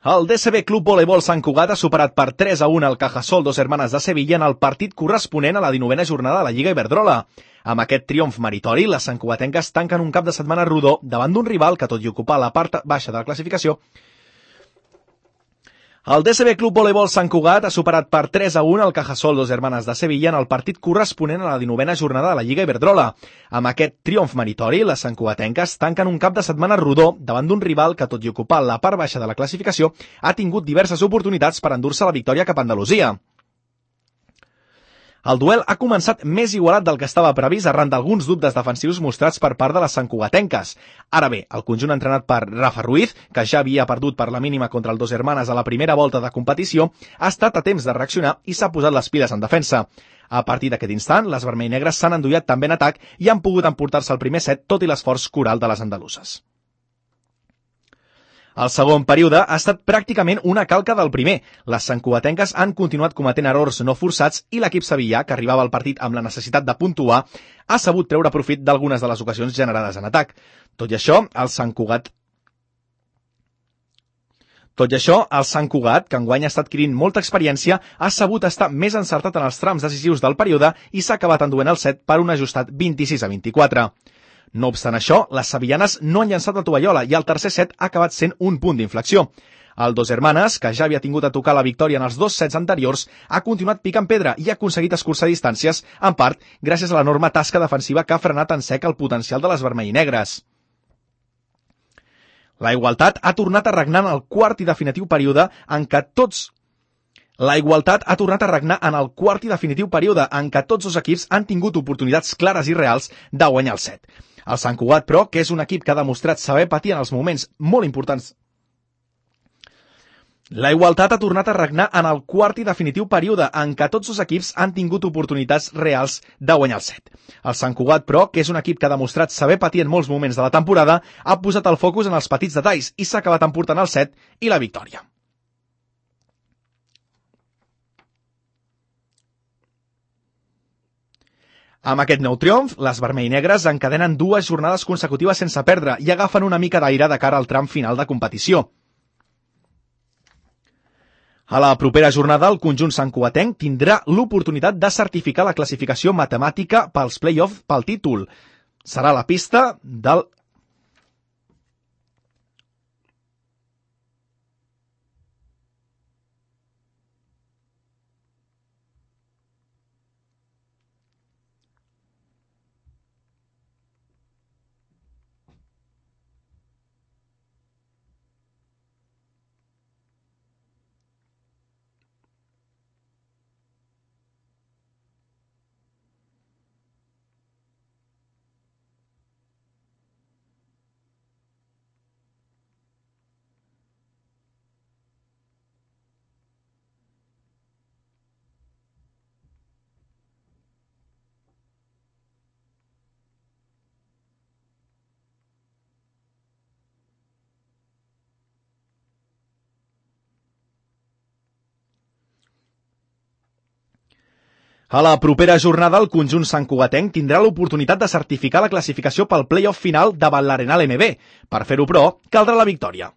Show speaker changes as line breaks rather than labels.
El DCB Club Voleibol Sant Cugat ha superat per 3-1 el Cajasol Dos Hermanes de Sevilla en el partit corresponent a la 19a jornada de la Lliga Iberdrola. Amb aquest triomf meritori, les santcugatenques tanquen un cap de setmana rodó davant d'un rival que, tot i ocupar la part baixa de la classificació, el DCB Club Voleibol Sant Cugat ha superat per 3-1 el Cajasol Dos Hermanes de Sevilla en el partit corresponent a la 19a jornada de la Lliga Iberdrola. Amb aquest triomf meritori, les santcugatenques tanquen un cap de setmana rodó davant d'un rival que, tot i ocupar la part baixa de la classificació, ha tingut diverses oportunitats per endur-se la victòria cap a Andalusia. El duel ha començat més igualat del que estava previst arran d'alguns dubtes defensius mostrats per part de les santcugatenques. Ara bé, el conjunt entrenat per Rafa Ruiz, que ja havia perdut per la mínima contra el Dos Hermanes a la primera volta de competició, ha estat a temps de reaccionar i s'ha posat les piles en defensa. A partir d'aquest instant, les vermell-negres s'han endollat també en atac i han pogut emportar-se el primer set tot i l'esforç coral de les andaluses. El segon període ha estat pràcticament una calca del primer. Les santcugatenques han continuat cometent errors no forçats i l'equip sevillà, que arribava al partit amb la necessitat de puntuar, ha sabut treure profit d'algunes de les ocasions generades en atac. Tot i això, el Sant Cugat, que enguany està adquirint molta experiència, ha sabut estar més encertat en els trams decisius del període i s'ha acabat enduent el set per un ajustat 26-24. No obstant això, les sevillanes no han llançat la tovallola i el tercer set ha acabat sent un punt d'inflexió. El Dos Hermanes, que ja havia tingut a tocar la victòria en els dos sets anteriors, ha continuat picant pedra i ha aconseguit escurçar distàncies, en part gràcies a l'enorme tasca defensiva que ha frenat en sec el potencial de les vermell-negres. La igualtat ha tornat a regnar en el quart i definitiu període en què tots dos equips han tingut oportunitats clares i reals de guanyar el set. El Sant Cugat, però, que és un equip que ha demostrat saber patir en els moments molt importants. La igualtat ha tornat a regnar en el quart i definitiu període en què tots dos equips han tingut oportunitats reals de guanyar el set. El Sant Cugat, però, que és un equip que ha demostrat saber patir en molts moments de la temporada, ha posat el focus en els petits detalls i s'ha acabat emportant el set i la victòria. Amb aquest nou triomf, les vermell-negres encadenen 2 jornades consecutives sense perdre i agafen una mica d'aire de cara al tram final de competició. A la propera jornada, el conjunt santcugatenc tindrà l'oportunitat de certificar la classificació matemàtica pels play-offs pel títol. Serà la pista del A la propera jornada, el conjunt santcugatenc tindrà l'oportunitat de certificar la classificació pel play-off final davant l'Arenal MB. Per fer-ho, però, caldrà la victòria.